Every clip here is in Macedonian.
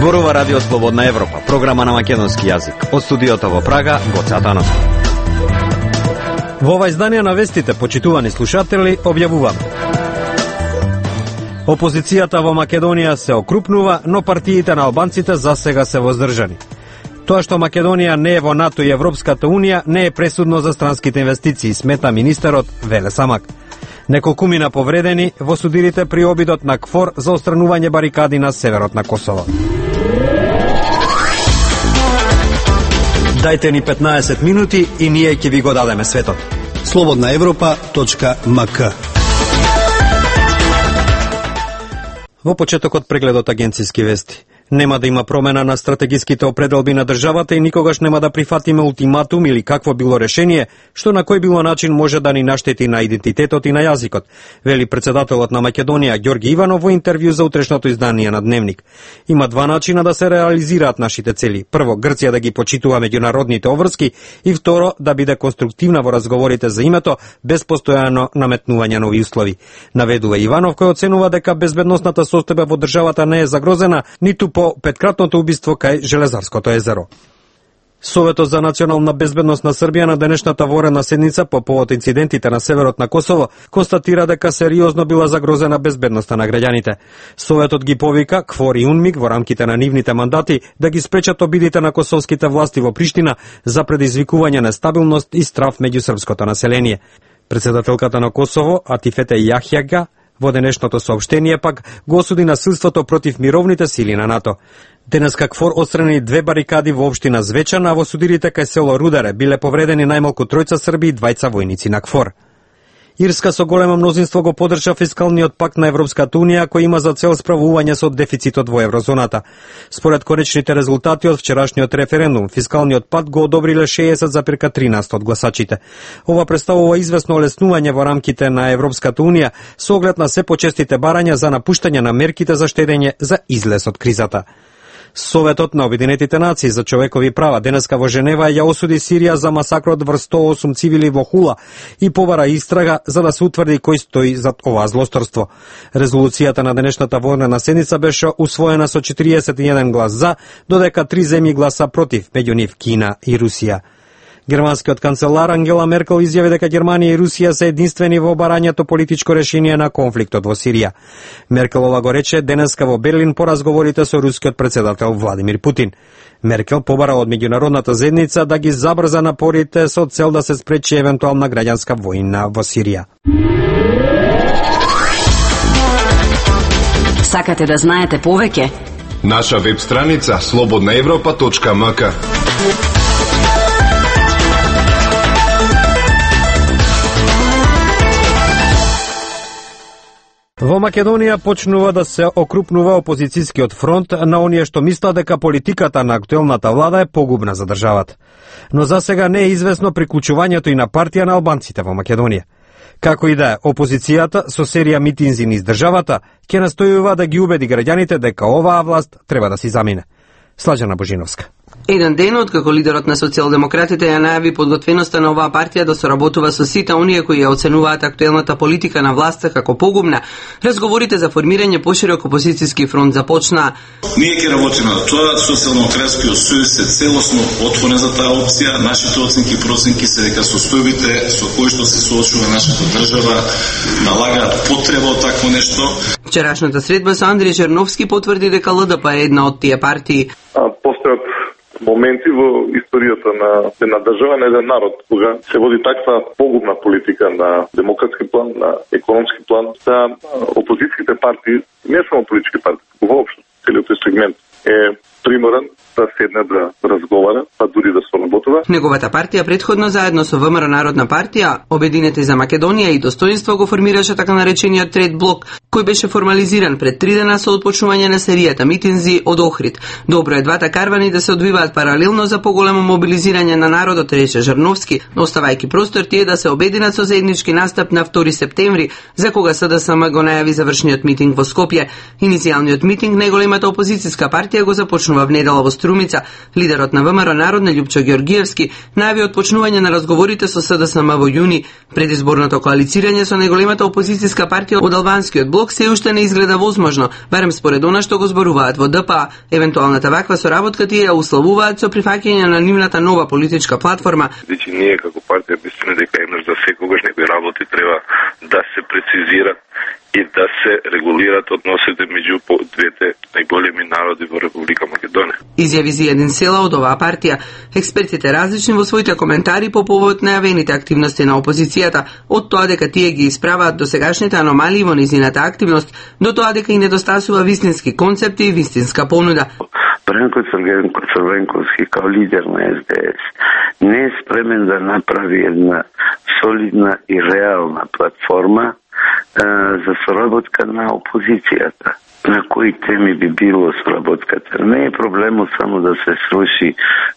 Зборува Радио Слободна Европа, програма на македонски јазик. Од студиото во Прага, Гоце Атанов. Во ова издание на вестите, почитувани слушатели, објавуваме: опозицијата во Македонија се окрупнува, но партиите на албанците засега се воздржани. Тоа што Македонија не е во НАТО и Европската Унија не е пресудно за странските инвестиции, смета министерот Веле Самак. Неколкумина повредени во судирите при обидот на КФОР за отстранување барикади на северот на Косово. Дајте ни 15 минути и ние ќе ви го дадеме светот. slobodnaevropa.mk. Во почетокот прегледот агенцијски вести. Нема да има промена на стратегиските определби на државата и никогаш нема да прифатиме ултиматум или какво било решение, што на кој било начин може да ни наштети на идентитетот и на јазикот, вели председателот на Македонија Ѓорги Иванов во интервју за утрешното издание на Дневник. Има два начина да се реализираат нашите цели. Прво, Грција да ги почитува меѓународните обврски и второ, да биде конструктивна во разговорите за името, без постојано наметнување нови услови. Наведува Иванов, кој оценува дека безбедносната состојба во државата не е загрозена, ниту по петкратното убиство кај Железарското езеро. Советот за национална безбедност на Србија на денешната воредна седница по повод инцидентите на северот на Косово констатира дека сериозно била загрозена безбедноста на граѓаните. Советот ги повика КФОР и УНМИК во рамките на нивните мандати да ги спречат обидите на косовските власти во Приштина за предизвикување на стабилност и страв меѓу српското население. Председателката на Косово Атифете Јахјага во денешното соопштение пак го осуди насилството против мировните сили на НАТО. Денеска КФОР отстрани 2 барикади во општина Звечан, а во судирите кај село Рударе биле повредени најмалку 3 срби и 2 војници на КФОР. Ирска со големо мнозинство го поддржа фискалниот пакт на Европската Унија, кој има за цел справување со дефицитот во еврозоната. Според конечните резултати од вчерашниот референдум, фискалниот пакт го одобриле 60,13% од гласачите. Ова представува известно олеснување во рамките на Европската Унија со оглед на се почестите барања за напуштање на мерките за штедење за излез од кризата. Советот на Обединетите нации за човекови права денеска во Женева ја осуди Сирија за масакрот врз 108 цивили во Хула и побара истрага за да се утврди кој стои зад оваа злосторство. Резолуцијата на денешната военна седница беше усвоена со 41 глас за, додека 3 земји гласа против, меѓу нив Кина и Русија. Германскиот канцелар Ангела Меркел изјави дека Германија и Русија се единствени во барањето политичко решение на конфликтот во Сирија. Меркелова го рече денеска во Берлин по разговорите со рускиот председател Владимир Путин. Меркел побара од меѓународната заедница да ги забрза напорите со цел да се спречи евентуална граѓанска војна во Сирија. Сакате да знаете повеќе? Наша веб страница slobodnaevropa.mk. Во Македонија почнува да се окрупнува опозицијскиот фронт на оние што мислат дека политиката на актуелната влада е погубна за државата. Но за сега не е известно приклучувањето и на партија на албанците во Македонија. Како и да е, опозицијата со серија митинзи низ државата ќе настојува да ги убеди граѓаните дека оваа власт треба да си замине. Слажана Божиновска. Еден ден откако лидерот на социјалдемократите ја најави подготвеноста на оваа партија да соработува со сите оние кои ја оценуваат актуелната политика на власта како погубна, разговорите за формирање поширок опозицијски фронт започнаа. Ние ќе работиме на тоа, Социјалдемократскиот сојуз е целосно отворен за таа опција. Нашите оценки и проценки се дека состојбите со кои што се соочува нашата држава налагаат потреба од такво нешто. Вчерашната средба со Андриј Черновски потврди дека ЛДП е една од тие партии. Постојат моменти во историјата на една држава, на еден народ, кога се води таква погубна политика на демократски план, на економски план, да опозицијските партии, не само политички партии, воопшто, целиот тој сегмент е приморен да седне да разговара, па дури да соработува. Неговата партија претходно заедно со ВМРО Народна партија, Обединети за Македонија и Достоинство го формираше така наречениот Трет блок, кој беше формализиран пред 3 дена со отпочнување на серијата митинзи од Охрид. Добро е двата карвани да се одвиваат паралелно за поголемо мобилизирање на народот, рече Жарновски, оставајќи простор тие да се обединат со заеднички настап на 2 септември, за кога СДСМ го најави завршниот митинг во Скопје. Иницијалниот митинг неголемата опозицијска партија го започнува во внедела во Струмица, лидерот на ВМРО Народна Љупчо Ѓоргиевски најави отпочнување на разговорите со СДСМ во јуни. Предизборното коалицирање со најголемата опозицијска партија од албанскиот блок се уште не изгледа возможно, барем според она што го зборуваат во ДПА. Евентуалната ваква соработка тие ја условуваат со прифаќање на нивната нова политичка платформа. Значи ние како партија мислиме дека имаш за секогаш некои работи треба да се прецизират и да се регулират односите меѓу двете најголеми народи во Република Македонија. Изјави Зијадин Села од оваа партија. Експертите различни во своите коментари по повод најавените активности на опозицијата, од тоа дека тие ги исправаат досегашните аномалии во низината активност, до тоа дека и недостасува вистински концепти и вистинска понуда. Бранко Црвенковски као лидер на СДС не е спремен да направи една солидна и реална платформа за соработка на опозицијата. На кои теми би било соработката? Не е проблемот само да се сруши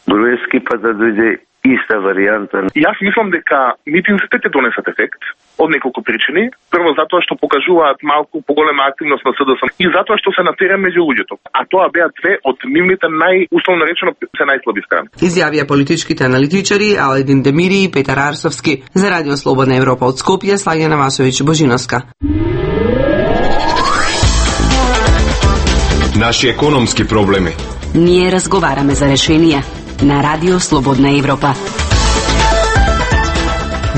Груевски, па да дојде иста варијанта. Јас мислам дека митинзите ќе донесат ефект од неколку причини. Прво затоа што покажуваат малку поголема активност на СДСМ и затоа што се на терен меѓу луѓето. А тоа беа две од нивните условно речено се најслаби страни. Изјавија политичките аналитичари Аледин Демири и Петар Арсовски. За Радио Слободна Европа од Скопје, Слаѓана Васовиќ Божиновска. Наши економски проблеми. Ние разговараме за решенија на Радио Слободна Европа.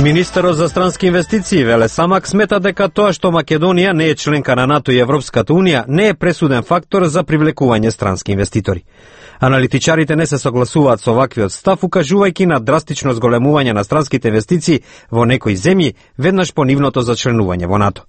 Министерот за странски инвестиции Веле Самак смета дека тоа што Македонија не е членка на НАТО и Европската Унија не е пресуден фактор за привлекување странски инвеститори. Аналитичарите не се согласуваат со ваквиот став, укажувајќи на драстично зголемување на странските инвестиции во некои земји веднаш по нивното зачленување во НАТО.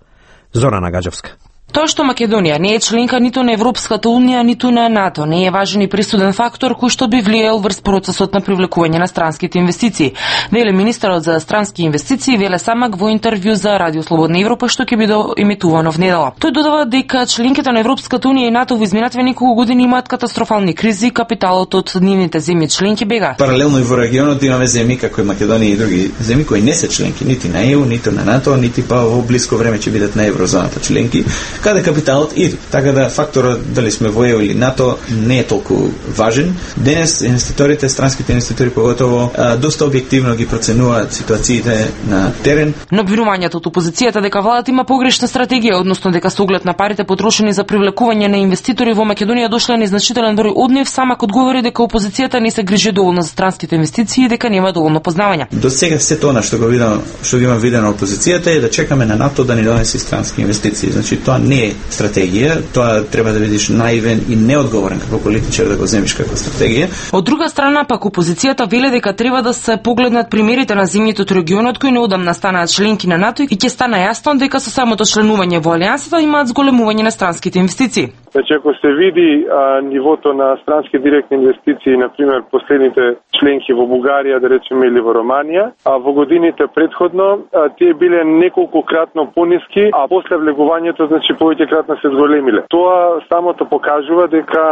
Зорана Гаджевска. Тоа што Македонија не е членка ниту на Европската Унија, ниту на НАТО, не е важен и пресуден фактор кој што би влијал врз процесот на привлекување на странските инвестиции, веле министерот за странски инвестиции Веле Самак во интервју за Радио Слободна Европа што ќе биде емитувано внедела. Тој додава дека членките на Европската Унија и НАТО во изминативе неколку години имаат катастрофални кризи, капиталот од нивните земји членки бега. Паралелно и во регионот имаме земји како и Македонија и други земји кои не се членки нити на ЕУ, ниту на НАТО, нити па во блиско време ќе бидат на еврозоната членки, каде капиталот иде. Така да факторот дали сме во ЕУ или НАТО не е толку важен. Денес инвеститорите, странските инвеститори поготово доста објективно ги проценуваат ситуациите на терен. Но обвинувањето од опозицијата дека владата има погрешна стратегија, односно дека со оглед на парите потрошени за привлекување на инвеститори во Македонија дошле незначителен број од нив, Самак одговори дека опозицијата не се грижи доволно за странските инвестиции и дека нема доволно познавање. До сега се тоа што го има видено опозицијата е да чекаме на НАТО да ни донесе странски инвестиции. Значи тоа не е стратегија, тоа треба да бидеш наивен и неодговорен како политичар да го земиш како стратегија. Од друга страна пак опозицијата веле дека треба да се погледнат примерите на земјите од регионот кои неодамна станаат членки на НАТО и ќе стане јасно дека со самото членување во алијансата имаат зголемување на странските инвестиции. Значи, ако се види нивото на странски директни инвестиции, например, последните членки во Бугарија, да речеме, или во Романија, во годините предходно, тие биле неколкократно пониски, а после влегувањето, значи, повеќекратно се зголемиле. Тоа самото покажува дека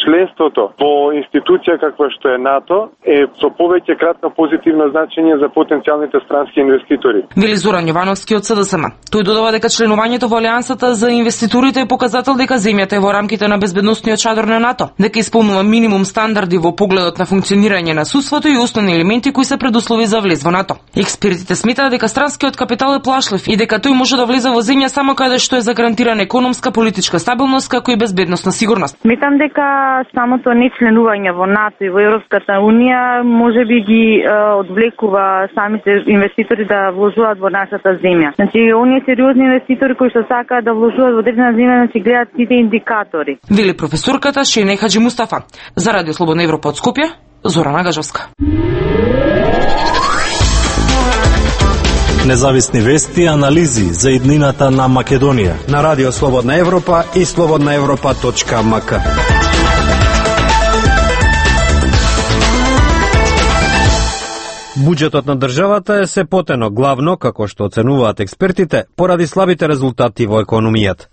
членството во институција каква што е НАТО е со повеќекратно позитивно значење за потенцијалните странски инвеститори. Вели Зоран Јовановски од СДСМ. Тој додава дека членувањето во алијансата за инвеститорите е показател дека земјата е во рамките на безбедносниот чадор на НАТО, дека исполнува минимум стандарди во погледот на функционирање на судството и основни елементи кои се предуслови за влез во НАТО. Експертите сметаат дека странскиот капитал е плашлив и дека тој може да влезе во земја само каде што е загарантирана економска, политичка стабилност, како и безбедносна сигурност. Сметам дека самото нечленување во НАТО и во Европската Унија можеби ги одвлекува самите инвеститори да вложуваат во нашата земја. Значи, оние сериозни инвеститори кои што сакаат да вложуваат во одредена земја, значи гледаат сите индикатори. Вели професорката Шене Хаджи Мустафа. За Радио Слободна Европа од Скопје, Зорана Гажовска. Независни вести и анализи за иднината на Македонија на Радио Слободна Европа и slobodnaevropa.mk. Буџетот на државата е се потено главно, како што оценуваат експертите, поради слабите резултати во економијата.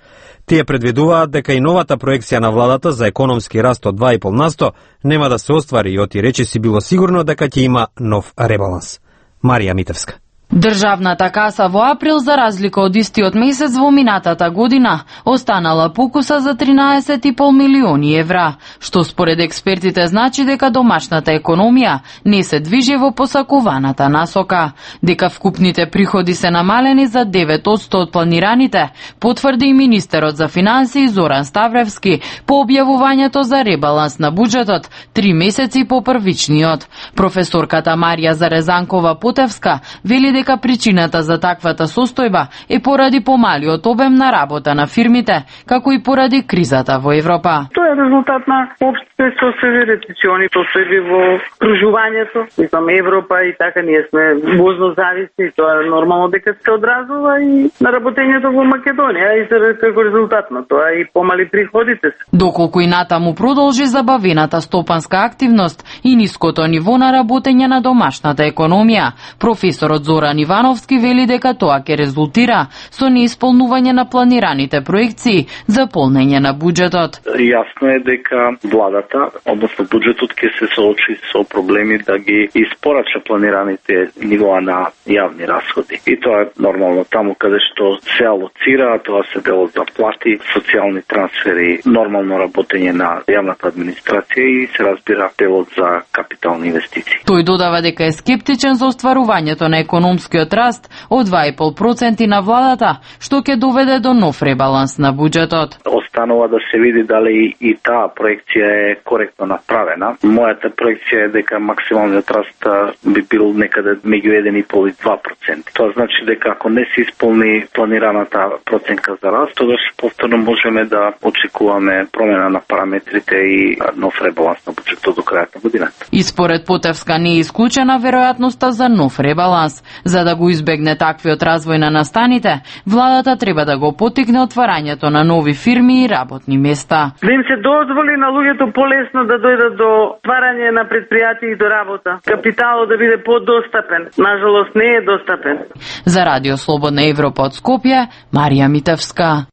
Тие предвидуваат дека и новата проекција на владата за економски раст од 2,5% нема да се оствари и оти речиси било сигурно дека ќе има нов ребаланс. Марија Митевска. Државната каса во април, за разлика од истиот месец во минатата година, останала покуса за 13,5 милиони евра, што според експертите значи дека домашната економија не се движи во посакуваната насока. Дека вкупните приходи се намалени за 9% од планираните, потврди и министерот за финансии Зоран Ставревски по објавувањето за ребаланс на буџетот 3 месеци по првичниот. Професорката Марија Зарезанкова-Потевска вели дека причината за таквата состојба е поради помалиот обем на работа на фирмите, како и поради кризата во Европа. Тоа е резултат на општите состојби, рецесиони, состојби во кружувањето. Мислам, Европа и така ние сме возно зависни, тоа е нормално дека се одразува и на работењето во Македонија и како резултат на тоа и помали приходите се. Доколку и натаму продолжи забавената стопанска активност и ниското ниво на работење на домашната економија, професорот Зоран Ивановски вели дека тоа ќе резултира со неисполнување на планираните проекции за полнење на буџетот. Јасно е дека владата, односно буџетот, ќе се соочи со проблеми да ги испорача планираните нивоа на јавни расходи. И тоа е нормално таму каде што се алоцира, тоа се делот за плати, социјални трансфери, нормално работење на јавната администрација и се разбира делот за капитални инвестиции. Тој додава дека е скептичен за остварувањето на економскиот раст од 2,5% на владата, што ќе доведе до нов ребаланс на буџетот. Останува да се види дали и таа проекција е коректно направена. Мојата проекција е дека максималниот раст би бил некаде меѓу 1,5 и 2%. Тоа значи дека ако не се исполни планираната проценка за раст, тогаш повторно можеме да очекуваме промена на параметрите и нов ребаланс на буџетот до крајот на годината. И според Потевска не е исклучена веројатноста за нов ребаланс. За да го избегне таквиот развој на настаните, владата треба да го поттикне отварањето на нови фирми и работни места. Да им се дозволи на луѓето полесно да дојдат до отварање на предпријатија и до работа. Капиталот да биде подостапен. Нажалост не е достапен. За Радио Слободна Европа од Скопје, Марија Митевска.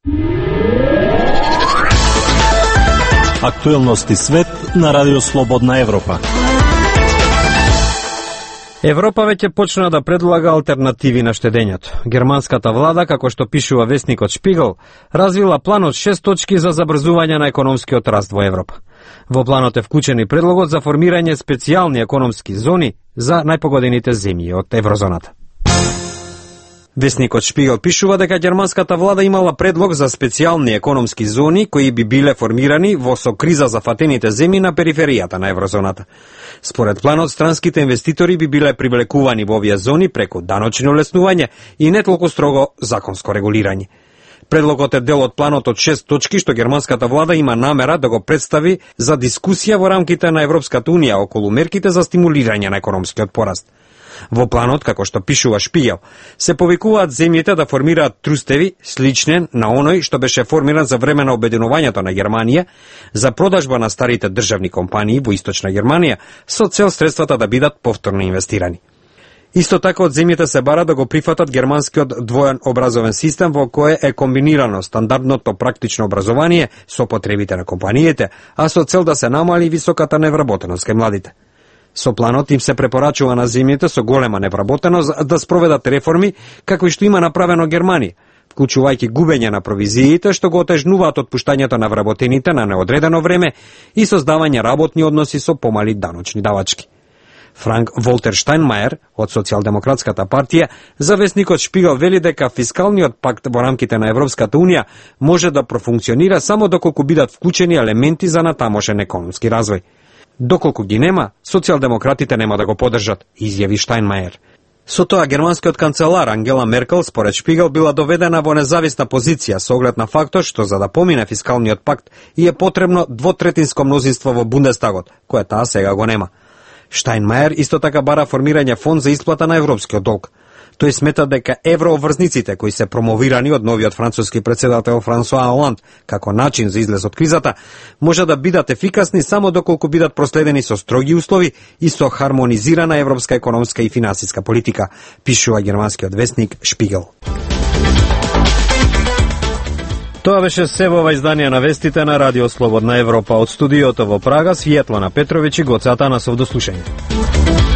Актуелности свет на Радио Слободна Европа. Европа веќе почна да предлага алтернативи на штедењето. Германската влада, како што пишува весникот Шпигел, развила план од 6 точки за забрзување на економскиот раст во Европа. Во планот е вклучен и предлогот за формирање специјални економски зони за најпогодените земји од еврозоната. Весникот Шпигел пишува дека германската влада имала предлог за специјални економски зони кои би биле формирани во со криза зафатените земји на периферијата на еврозоната. Според планот, странските инвеститори би биле привлекувани во овие зони преку даночно олеснување и не толку строго законско регулирање. Предлогот е дел од планот од 6 точки што германската влада има намера да го представи за дискусија во рамките на Европската унија околу мерките за стимулирање на економскиот пораст. Во планот, како што пишува Шпигел, се повикуваат земјите да формираат трустеви слични на оној што беше формиран за време на обединувањето на Германија за продажба на старите државни компании во Источна Германија со цел средствата да бидат повторно инвестирани. Исто така од земјите се бара да го прифатат германскиот двоен образовен систем во кој е комбинирано стандардното практично образование со потребите на компаниите, а со цел да се намали високата невработеност кај младите. Со планот им се препорачува на земјите со голема невработеност да спроведат реформи какви што има направено Германија, вклучувајќи губење на провизиите што го отежнуваат отпуштањето на вработените на неодредено време и создавање работни односи со помали даночни давачки. Франк Волтер Штајнмајер од Социјалдемократската партија за весникот Шпигел вели дека фискалниот пакт во рамките на Европската унија може да профункционира само доколку бидат вклучени елементи за натамошен економски развој. Доколку ги нема, социјалдемократите нема да го поддржат, изјави Штајнмајер. Со тоа, германскиот канцелар Ангела Меркел, според Шпигел, била доведена во независна позиција со оглед на фактот што за да помине фискалниот пакт и е потребно двотретинско мнозинство во Бундестагот, кое таа сега го нема. Штајнмајер исто така бара формирање фонд за исплата на европскиот долг. Тој смета дека еврообврзниците кои се промовирани од новиот француски претседател Франсуа Оланд како начин за излез од кризата, може да бидат ефикасни само доколку бидат проследени со строги услови и со хармонизирана европска економска и финансиска политика, пишува германскиот весник Шпигел. Тоа беше се во ова издание на вестите на Радио Слободна Европа. Од студиото во Прага, Светлана Петровиќ и Гоце Атанасов, до слушање.